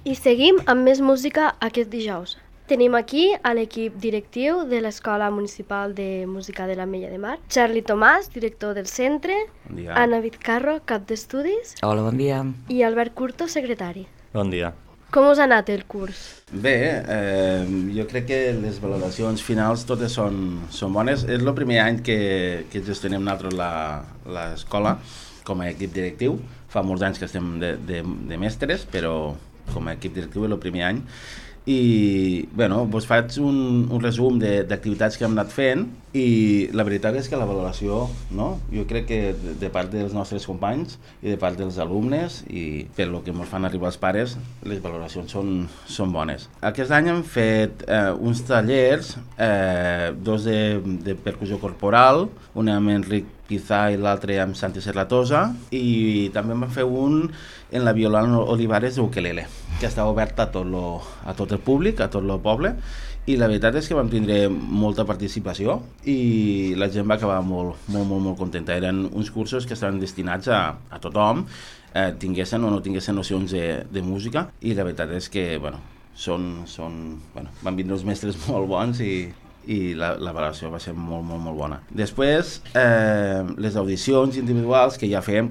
I seguim amb més música aquest dijous. Tenim aquí a l'equip directiu de l'Escola Municipal de Música de l'Ametlla de Mar, Charlie Tomàs, director del centre, Bon dia. Anna Vizcarro, cap d'estudis, Hola, bon dia. i Albert Curto, secretari. Bon dia. Com us ha anat el curs? Bé, jo crec que les valoracions finals totes són bones. És el primer any que gestionem nosaltres l'escola com a equip directiu. Fa molts anys que estem de mestres, però com a equip directiu és el primer any. I bueno, vos faig un resum d'activitats que hem anat fent i la veritat és que la valoració, no? Jo crec que de part dels nostres companys i de part dels alumnes i per lo que ens fan arribar els pares, les valoracions són bones. Aquest any hem fet uns tallers, dos de percussió corporal, un amb Enric Pizà i l'altre amb Santi Serratosa, i també vam fer un en la Violant Olivares d'Ukelele, que està obert a tot el públic, a tot el poble, i la veritat és que vam tindre molta participació i la gent va acabar molt contenta. Eren uns cursos que estaven destinats a tothom, tinguessin o no tinguessin nocions de música, i la veritat és que van vindre uns mestres molt bons i la valoració va ser molt bona. Després, les audicions individuals que ja fem,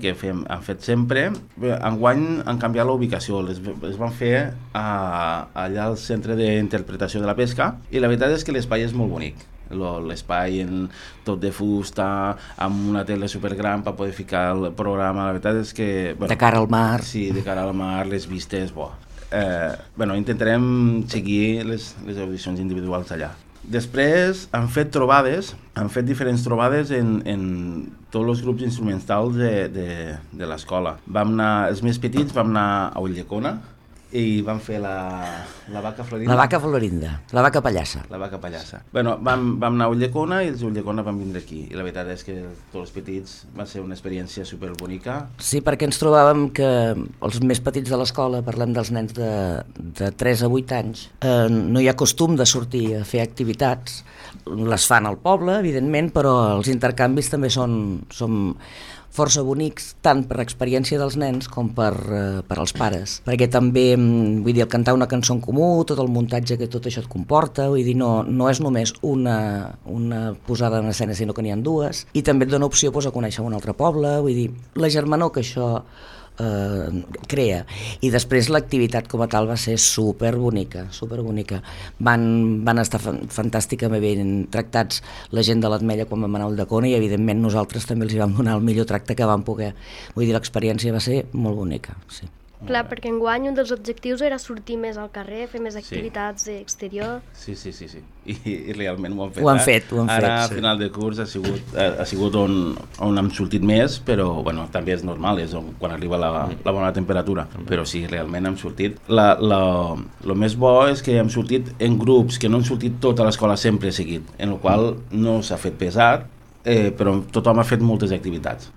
han fet sempre, enguany han canviat la ubicació, les van fer allà al Centre d'Interpretació de la Pesca, i la veritat és que l'espai és molt bonic. L'espai tot de fusta, amb una tele supergran per poder ficar el programa, la veritat és que... De cara al mar. Sí, de cara al mar, les vistes, intentarem seguir les audicions individuals allà. Després han fet diferents trobades en tots els grups instrumentals de l'escola. Els més petits vam anar a Ulldecona i vam fer la vaca florinda. La vaca florinda, la vaca pallassa. La vaca pallassa. Bueno, vam anar a Ulldecona i els d'Ulldecona van vindre aquí. I la veritat és que tots els petits va ser una experiència superbonica. Sí, perquè ens trobàvem que els més petits de l'escola, parlem dels nens de 3 a 8 anys, no hi ha costum de sortir a fer activitats. Les fan al poble, evidentment, però els intercanvis també són força bonics, tant per experiència dels nens com per als pares, perquè també, vull dir, el cantar una cançó en comú, tot el muntatge que tot això et comporta, vull dir, no és només una posada en escena, sinó que n'hi ha dues, i també et dona opció a conèixer un altre poble, vull dir, la germanor que això crea. I després l'activitat com a tal va ser superbonica. Van estar fantàsticament ben tractats la gent de l'Ametlla quan vam anar a Ulldecona, i evidentment nosaltres també els hi vam donar el millor tracte que vam poder. Vull dir, l'experiència va ser molt bonica, sí. Clar, perquè enguany un dels objectius era sortir més al carrer, fer més activitats exterior. Sí. I realment ho han fet. Ho han fet. Ara, a final de curs, ha sigut on hem sortit més, però bueno, també és normal, és quan arriba la bona temperatura. Però sí, realment hem sortit. El més bo és que hem sortit en grups, que no han sortit tota l'escola sempre seguit, en el qual no s'ha fet pesat, però tothom ha fet moltes activitats.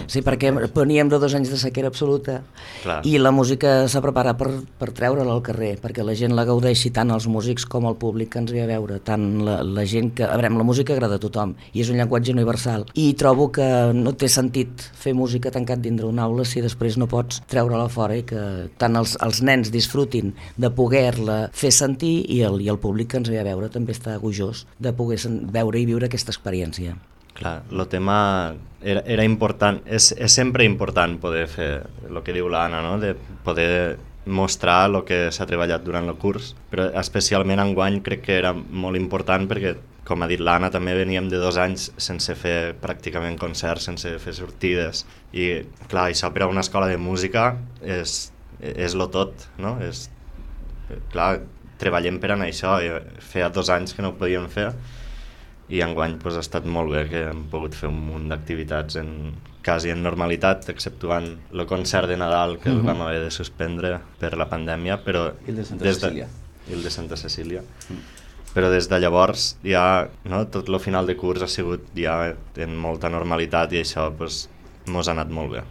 Sí, perquè veníem de 2 anys de sequera absoluta. Clar. I la música s'ha preparat per treure-la al carrer, perquè la gent la gaudeixi, tant els músics com el públic que ens ve a veure, tant la gent que... A veure, la música agrada a tothom i és un llenguatge universal, i trobo que no té sentit fer música tancat dintre una aula si després no pots treure-la fora, i que tant els nens disfrutin de poder-la fer sentir, i el públic que ens ve a veure també està gojós de poder veure i viure aquesta experiència. Clar, el tema era important, és sempre important poder fer el que diu l'Anna, no? De poder mostrar el que s'ha treballat durant el curs, però especialment enguany crec que era molt important perquè, com ha dit l'Anna, també veníem de 2 anys sense fer pràcticament concerts, sense fer sortides, i clar, això per a una escola de música és lo tot, no? Clar, treballem per anar això, feia 2 anys que no ho podíem fer, i enguany ha estat molt bé que hem pogut fer un munt d'activitats quasi en normalitat, exceptuant el concert de Nadal que el vam haver de suspendre per la pandèmia, però I el de Santa Cecília. I el de Santa Cecília. Però des de llavors ja, no, tot el final de curs ha sigut ja en molta normalitat, i això mos ha anat molt bé.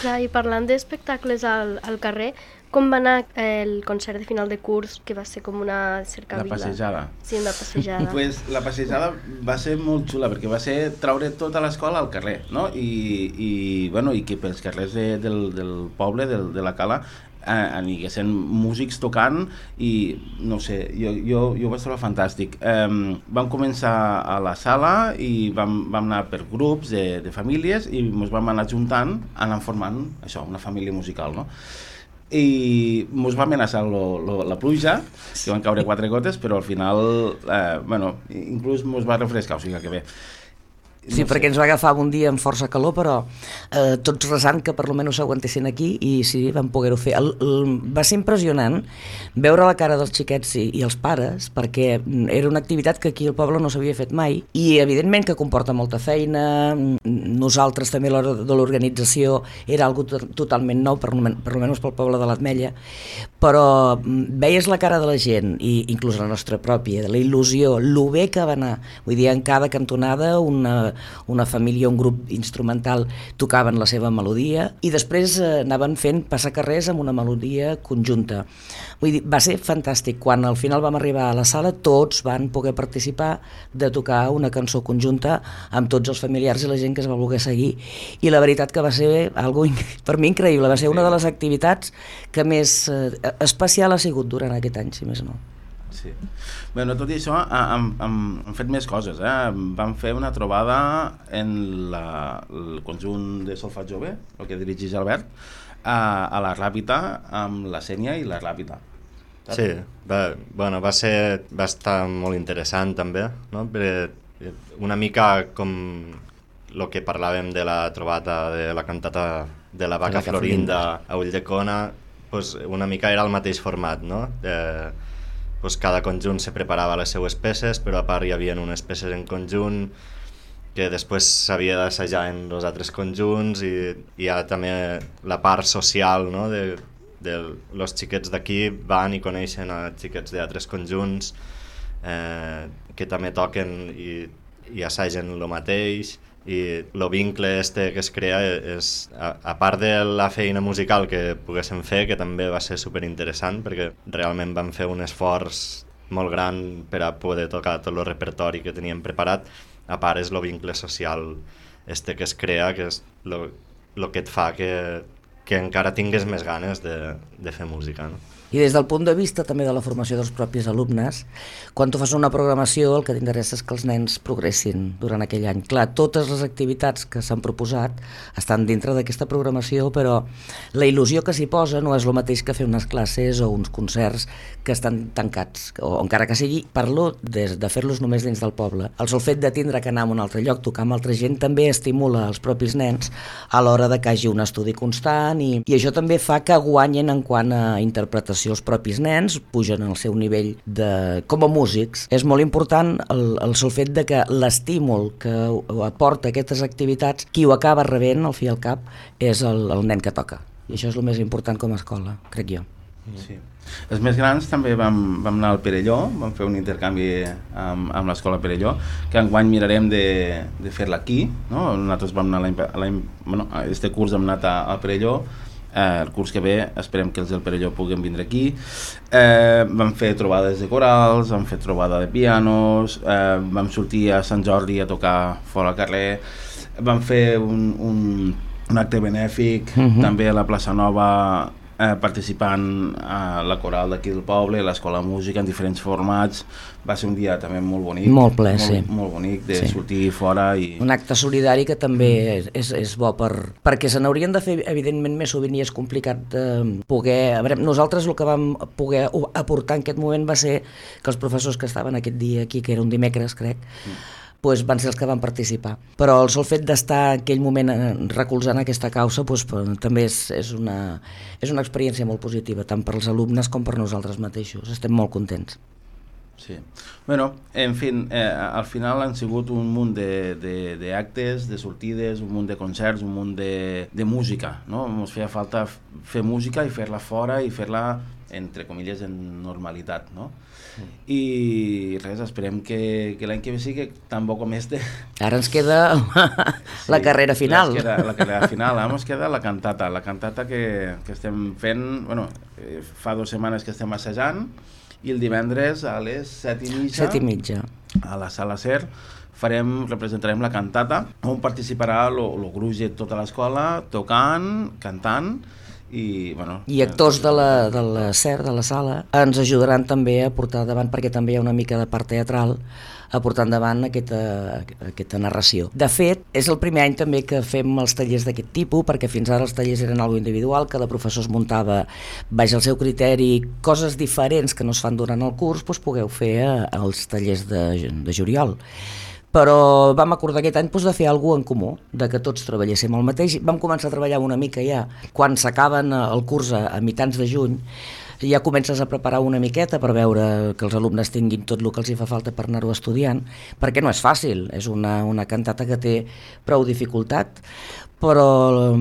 Clar, i parlant d'espectacles al carrer, com va anar el concert de final de curs, que va ser com una cercavila? La passejada. Sí, una passejada. Pues la passejada va ser molt xula, perquè va ser traure tota l'escola al carrer, no? I que pels carrers del poble, de la Cala, aniguessin músics tocant i no sé, jo ho vaig trobar fantàstic. Vam començar a la sala i vam anar per grups de famílies i ens vam anar juntant, anant formant això, una família musical, no? I ens va amenaçar la pluja, que van caure 4 gotes, però al final, inclús ens va refrescar, o sigui que bé. Sí, perquè ens va agafar un dia amb força calor, però tots resant que per almenys s'aguantessin aquí i sí, vam poder-ho fer. Va ser impressionant veure la cara dels xiquets i els pares, perquè era una activitat que aquí al poble no s'havia fet mai i evidentment que comporta molta feina. Nosaltres també a l'hora de l'organització era algo totalment nou, per almenys pel poble de l'Ametlla, però veies la cara de la gent, i inclús la nostra pròpia, la il·lusió, lo bé que va anar. Vull dir, en cada cantonada una família, un grup instrumental tocaven la seva melodia i després anaven fent passacarrers amb una melodia conjunta. Vull dir, va ser fantàstic. Quan al final vam arribar a la sala, tots van poder participar de tocar una cançó conjunta amb tots els familiars i la gent que es va voler seguir. I la veritat que va ser algo per mi increïble. Va ser una de les activitats que més especial ha sigut durant aquest any, si més no. Sí. Bé, tot i això, hem fet més coses. Vam fer una trobada en el conjunt de solfeig jove, el que dirigeix Albert, a la Ràpita, amb la Sènia i la Ràpita. Sí, va estar molt interessant també, no? Perquè una mica com el que parlàvem de la trobada de la cantata de la Vaca Florinda a Ulldecona, pues una mica era el mateix format, no? Pues cada conjunt se preparava les seues peces, però a part hi havia unes peces en conjunt que després s'havia d'assajar en els altres conjunts i hi ha també la part social, no? de els xiquets d'aquí van i coneixen a xiquets d'altres conjunts que també toquen i assagen el mateix, i el vincle que es crea és, a part de la feina musical que poguéssim fer, que també va ser superinteressant perquè realment vam fer un esforç molt gran per a poder tocar tot el repertori que teníem preparat. A part és el vincle social que es crea, que és el que et fa que encara tingues més ganes de fer música, no? I des del punt de vista també de la formació dels propis alumnes, quan tu fas una programació el que t'interessa és que els nens progressin durant aquell any. Clar, totes les activitats que s'han proposat estan dintre d'aquesta programació, però la il·lusió que s'hi posa no és el mateix que fer unes classes o uns concerts que estan tancats, o encara que sigui, parlo de fer-los només dins del poble. El sol fet de tindre que anar a un altre lloc, tocar amb altra gent, també estimula els propis nens a l'hora de que hagi un estudi constant i això també fa que guanyen en quant a interpretació. Els propis nens pugen al seu nivell com a músics. És molt important el sol fet de que l'estímul que aporta aquestes activitats, qui ho acaba rebent al fi i al cap és el nen que toca. I això és el més important com a escola, crec jo. Sí. Els més grans també vam anar al Perelló, vam fer un intercanvi amb l'escola Perelló, que enguany mirarem de fer-la aquí, no? Nosaltres vam anar este curs hem anat al Perelló. El curs que ve esperem que els del Perelló puguin vindre aquí. Vam fer trobades de corals, vam fer trobada de pianos, vam sortir a Sant Jordi a tocar fora al carrer, vam fer un acte benèfic també a la plaça Nova, participant a la coral d'aquí del poble, l'escola de música en diferents formats. Va ser un dia també molt bonic, molt ple, sí. Molt bonic de sortir fora i... Un acte solidari que també és bo perquè se n'haurien de fer evidentment més sovint i és complicat poder... A veure, nosaltres el que vam poder aportar en aquest moment va ser que els professors que estaven aquest dia aquí, que era un dimecres crec, doncs van ser els que van participar. Però el sol fet d'estar en aquell moment recolzant aquesta causa també és una experiència molt positiva, tant per als alumnes com per nosaltres mateixos. Estem molt contents. Sí. Bueno, en fi, al final han sigut un munt d'actes, de sortides, un munt de concerts, un munt de música, no? Ens feia falta fer música i fer-la fora i fer-la, entre comilles, en normalitat, no? I res, esperem que l'any que ve sigui tan bo com este. Ara ens queda la carrera final. La carrera final, ara ens queda la cantata que estem fent, bueno, fa 2 setmanes que estem assajant, i el divendres a les 7:30 a la Sala Ser representarem la cantata, on participarà el gruix de tota l'escola tocant, cantant, I actors de la SER, de la sala, ens ajudaran també a portar davant, perquè també hi ha una mica de part teatral, a portar endavant aquesta narració. De fet, és el primer any també que fem els tallers d'aquest tipus, perquè fins ara els tallers eren algo individual, cada professor es muntava baix el seu criteri, coses diferents que no es fan durant el curs, doncs pugueu fer els tallers de juliol. Però vam acordar aquest any de fer alguna cosa en comú, de que tots treballéssim el mateix. Vam començar a treballar una mica ja, quan s'acaben el curs a mitjans de juny, ja comences a preparar una miqueta per veure que els alumnes tinguin tot el que els hi fa falta per anar-ho estudiant, perquè no és fàcil, és una cantata que té prou dificultat, però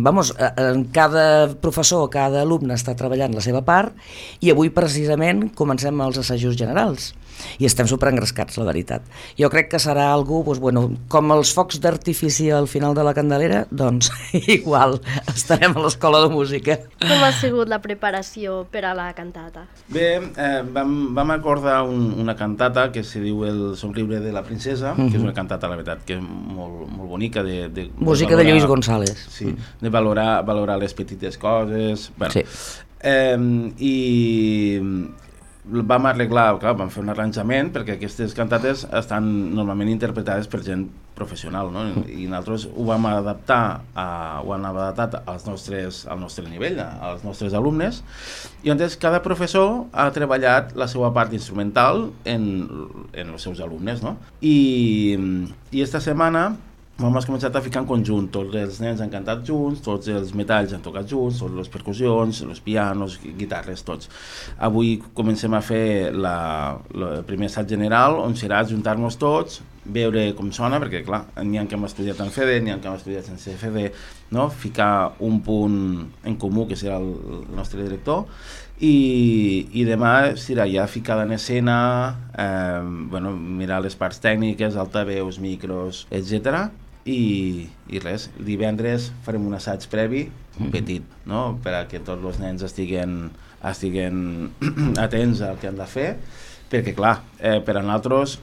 cada professor, cada alumne està treballant la seva part i avui precisament comencem els assajos generals i estem superengrescats, la veritat. Jo crec que serà algú, com els focs d'artifici al final de la Candelera, doncs igual estarem a l'Escola de Música. Com ha sigut la preparació per a la cantata? Bé, vam acordar una cantata que se diu El somriure de la princesa, que és una cantata, la veritat, que és molt bonica. Música de Lluís González. Sí, de valorar les petites coses. Sí. I vam arreglar, vam fer un arranjament perquè aquestes cantates estan normalment interpretades per gent professional, no? I nosaltres ho vam adaptar al nostre nivell, als nostres alumnes, i llavors cada professor ha treballat la seva part instrumental en els seus alumnes, no? I esta setmana hem començat a ficar en conjunt, tots els nens han cantat junts, tots els metalls han tocat junts, totes les percussions, els pianos, guitarres, tots. Avui comencem a fer el primer assaig general, on serà juntar-nos tots, veure com sona, perquè clar, n'hi ha que hem estudiat en FEDE, n'hi ha que hem estudiat sense FEDE, no? Ficar un punt en comú, que serà el nostre director, i demà serà ja ficada en escena, mirar les parts tècniques, altaveus, micros, etc. I res, divendres farem un assaig previ, petit, no? Per a que tots els nens estiguen atents al que han de fer, perquè clar, per a nosaltres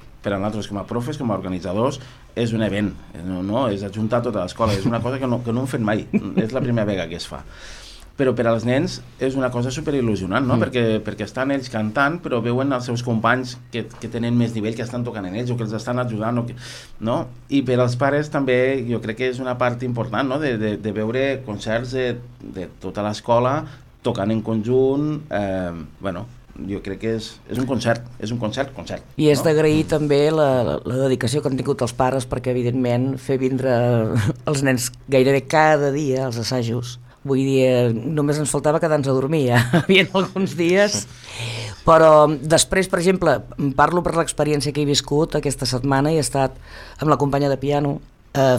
com a profes, com a organitzadors, és un event, no? És ajuntar tota l'escola, és una cosa que no hem fet mai, és la primera vegada que es fa. Però per als nens és una cosa superil·lusionant, no? Perquè estan ells cantant, però veuen els seus companys que tenen més nivell, que estan tocant en ells o que els estan ajudant, no? I per als pares també jo crec que és una part important, no? De veure concerts de tota l'escola tocant en conjunt, jo crec que és un concert, I és d'agrair també la dedicació que han tingut els pares, perquè evidentment fer vindre els nens gairebé cada dia als assajos, vull dir, només ens faltava quedar-nos a dormir, hi havia alguns dies, però després, per exemple, parlo per l'experiència que he viscut aquesta setmana, i he estat amb la companya de piano,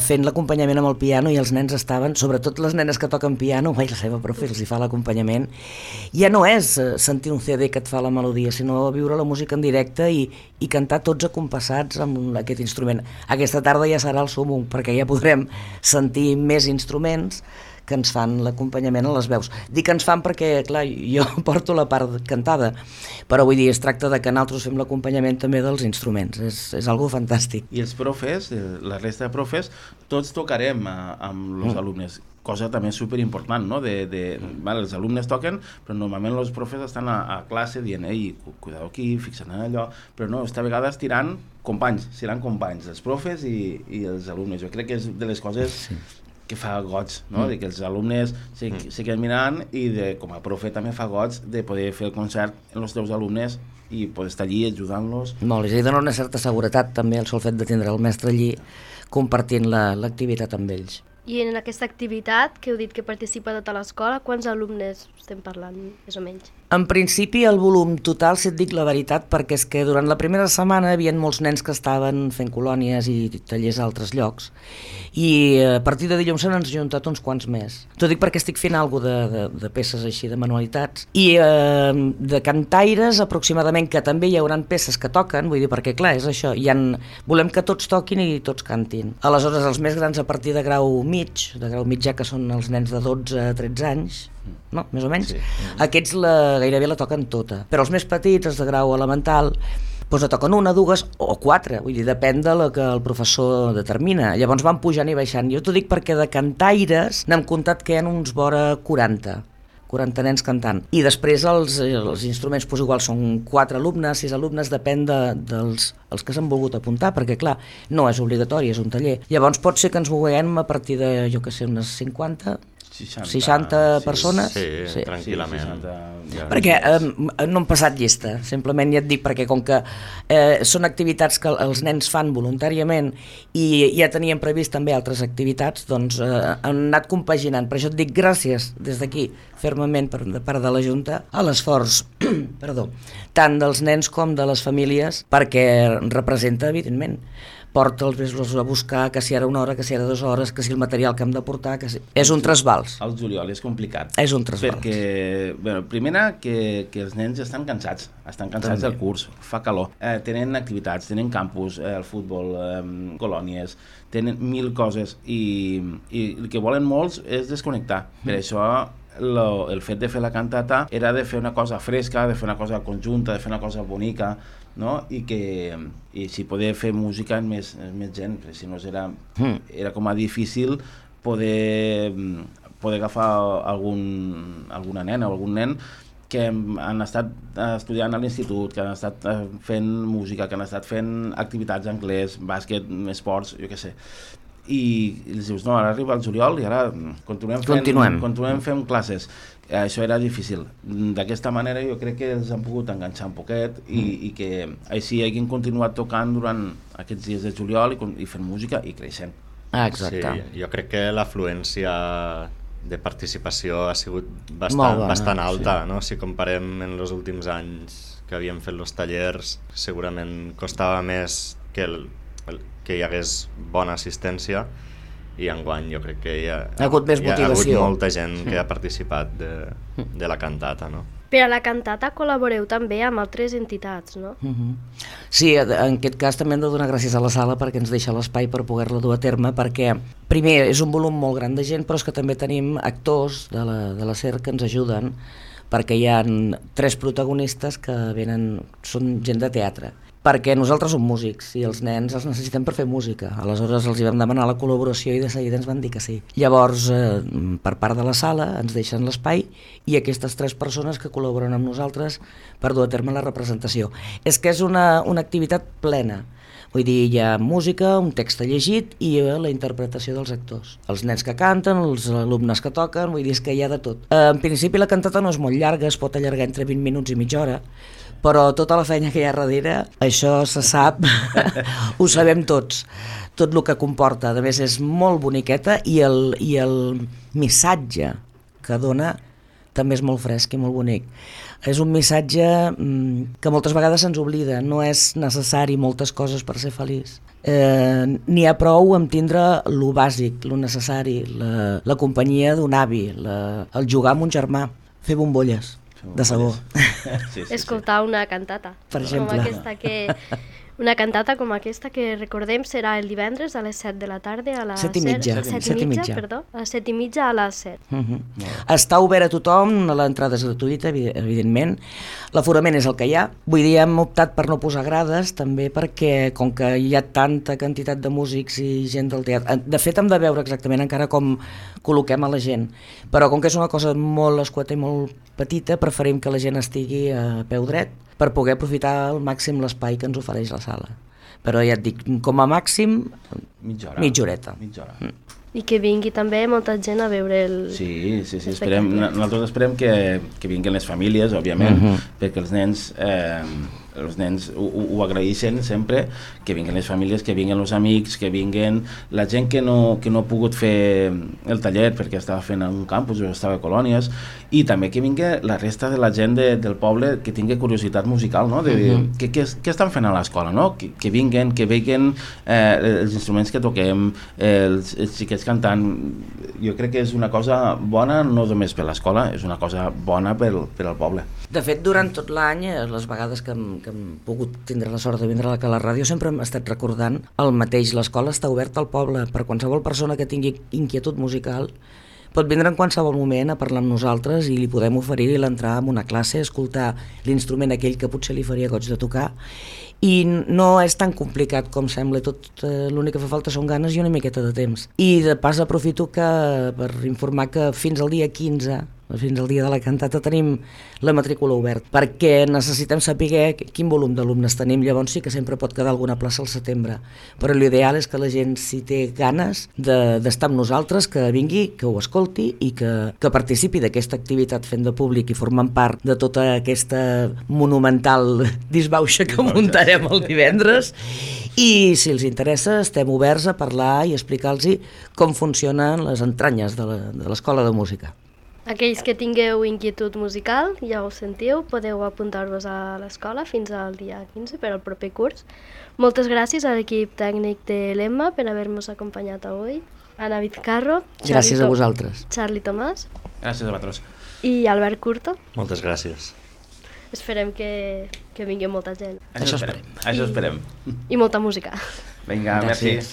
fent l'acompanyament amb el piano, i els nens estaven, sobretot les nenes que toquen piano, la seva profe els hi fa l'acompanyament, ja no és sentir un CD que et fa la melodia, sinó viure la música en directe i cantar tots acompassats amb aquest instrument. Aquesta tarda ja serà el súmmum, perquè ja podrem sentir més instruments que ens fan l'acompanyament a les veus. Dic que ens fan perquè, clar, jo porto la part cantada, però vull dir, es tracta de que nosaltres fem l'acompanyament també dels instruments, és algo fantàstic. I els profes, la resta de profes, tots tocarem amb els alumnes, cosa també superimportant, no? Els alumnes toquen, però normalment els profes estan a classe dient, cuidado aquí, fixa't en allò, però no, esta vegada seran companys, els profes i els alumnes. Jo crec que és de les coses que fa goig, no? De que els alumnes se queden mirant, i com a profe també fa goig de poder fer el concert amb els teus alumnes i poder estar allí ajudant-los. Molt, i dona una certa seguretat també el sol fet de tindre el mestre allí compartint l'activitat amb ells. I en aquesta activitat, que heu dit que participa tota l'escola, quants alumnes estem parlant, més o menys? En principi el volum total, si et dic la veritat, perquè és que durant la primera setmana hi havia molts nens que estaven fent colònies i tallers a altres llocs, i a partir de dilluns s'han juntat uns quants més. T'ho dic perquè estic fent alguna cosa de peces així, de manualitats, i de cantaires aproximadament, que també hi hauran peces que toquen, vull dir, perquè clar, és això, volem que tots toquin i tots cantin. Aleshores, els més grans a partir de grau mig ja, que són els nens de 12 a 13 anys, no? Més o menys, sí. Aquests gairebé la toquen tota, però els més petits, els de grau elemental, doncs la toquen una, dues o quatre, vull dir, depèn de la que el professor determina. Llavors van pujant i baixant. Jo t'ho dic perquè de cantaires n'hem comptat que hi ha uns vora 40 40 nens cantant. I després els instruments igual són 4 alumnes, 6 alumnes, depèn dels que s'han volgut apuntar, perquè clar, no és obligatori, és un taller. Llavors pot ser que ens moguem a partir de, jo què sé, unes 50, 60 persones. Sí, tranquil·lament. 60, perquè no han passat llista, simplement ja et dic, perquè com que són activitats que els nens fan voluntàriament i ja tenien previst també altres activitats, doncs han anat compaginant. Per això et dic gràcies des d'aquí, fermament per part de la Junta, a l'esforç tant dels nens com de les famílies, perquè representa, evidentment, porta els mesos a buscar, que si era 1 hora, que si era 2 hores, que si el material que hem de portar, que si... És un trasbals. El juliol és complicat. És un trasbals. Perquè, bueno, primera, que els nens estan cansats del curs, fa calor, tenen activitats, tenen campus, el futbol, colònies, tenen 1000 coses i el que volen molts és desconnectar. Per això el fet de fer la cantata era de fer una cosa fresca, de fer una cosa conjunta, de fer una cosa bonica, no? I si poder fer música amb més gent, perquè si no era com a difícil poder agafar alguna nena o algun nen que han estat estudiant a l'institut, que han estat fent música, que han estat fent activitats d'anglès, bàsquet, esports, jo què sé. I els dius, no, ara arriba el juliol i ara continuem fent classes. Això era difícil. D'aquesta manera jo crec que els han pogut enganxar un poquet i que així hagin continuat tocant durant aquests dies de juliol i fent música i creixent. Exacte. Sí, jo crec que l'afluència de participació ha sigut bastant alta, sí. No? Si comparem en els últims anys que havíem fet els tallers, segurament costava més que hi hagués bona assistència, i enguany jo crec que hi ha hagut molta gent que ha participat de la cantata, no? Per a la cantata col·laboreu també amb altres entitats, no? Sí, en aquest cas també hem de donar gràcies a la sala perquè ens deixa l'espai per poder-la dur a terme, perquè primer és un volum molt gran de gent, però és que també tenim actors de la SER que ens ajuden, perquè hi ha 3 protagonistes que són gent de teatre, perquè nosaltres som músics i els nens els necessitem per fer música. Aleshores els hi vam demanar la col·laboració i de seguida ens van dir que sí. Llavors, per part de la sala, ens deixen l'espai i aquestes 3 persones que col·laboren amb nosaltres per dur a terme la representació. És que és una activitat plena. Vull dir, hi ha música, un text llegit i la interpretació dels actors. Els nens que canten, els alumnes que toquen, vull dir, és que hi ha de tot. En principi la cantata no és molt llarga, es pot allargar entre 20 minuts i mitja hora, però tota la feina que hi ha darrere, això se sap, ho sabem tots, tot el que comporta. A més, és molt boniqueta i el missatge que dona també és molt fresc i molt bonic. És un missatge que moltes vegades se'ns oblida, no és necessari moltes coses per ser feliç. N'hi ha prou amb tindre lo bàsic, lo necessari, la companyia d'un avi, el jugar amb un germà, fer bombolles de sabó. Sí. Escoltar una cantata. Per exemple. Una cantata com aquesta que recordem serà el divendres a les 7 de la tarda a la 7:30. A les 7:30 a les 7. Està obert a tothom, l'entrada és gratuïta, evidentment. L'aforament és el que hi ha. Vull dir, hem optat per no posar grades, també perquè, com que hi ha tanta quantitat de músics i gent del teatre... De fet, hem de veure exactament encara com col·loquem a la gent. Però com que és una cosa molt escueta i molt petita, preferim que la gent estigui a peu dret per poder aprofitar al màxim l'espai que ens ofereix la sala. Però ja et dic, com a màxim, mitja horeta. I que vingui també molta gent a veure el... Sí, nosaltres esperem que vinguin les famílies, òbviament, perquè els nens ho agraeixen sempre, que vinguin les famílies, que vinguin els amics, que vinguin la gent que no ha pogut fer el taller perquè estava fent en un campus o estava a colònies, i també que vingui la resta de la gent del poble que tingui curiositat musical, no? De dir, què estan fent a l'escola, no? Que vinguin els instruments que toquem, els xiquets cantant. Jo crec que és una cosa bona no només per l'escola, és una cosa bona per al poble. De fet, durant tot l'any, les vegades que hem pogut tindre la sort de vindre a la ràdio, sempre hem estat recordant el mateix. L'escola està oberta al poble per qualsevol persona que tingui inquietud musical. Pot vindre en qualsevol moment a parlar amb nosaltres i li podem oferir l'entrar en una classe, escoltar l'instrument aquell que potser li faria goig de tocar. I no és tan complicat com sembla, l'únic que fa falta són ganes i una miqueta de temps. I de pas aprofito per informar que fins al dia 15, fins al dia de la cantata tenim la matrícula oberta, perquè necessitem saber quin volum d'alumnes tenim, llavors sí que sempre pot quedar alguna plaça al setembre, però l'ideal és que la gent, si té ganes d'estar amb nosaltres, que vingui, que ho escolti i que participi d'aquesta activitat fent de públic i formant part de tota aquesta monumental disbauxa que muntarem el divendres. I si els interessa estem oberts a parlar i explicar-los com funcionen les entranyes de l'Escola de Música. Aquells que tingueu inquietud musical, ja ho sentiu, podeu apuntar-vos a l'escola fins al dia 15 per al proper curs. Moltes gràcies a l'equip tècnic de l'Emma per haver-nos acompanyat avui. Anna Vizcarro, Gràcies a vosaltres. Charlie Tomàs Gràcies a vosaltres. i Albert Curto. Moltes gràcies. Esperem que vingui molta gent. Això esperem. Això esperem. I molta música. Vinga, merci. Gràcies.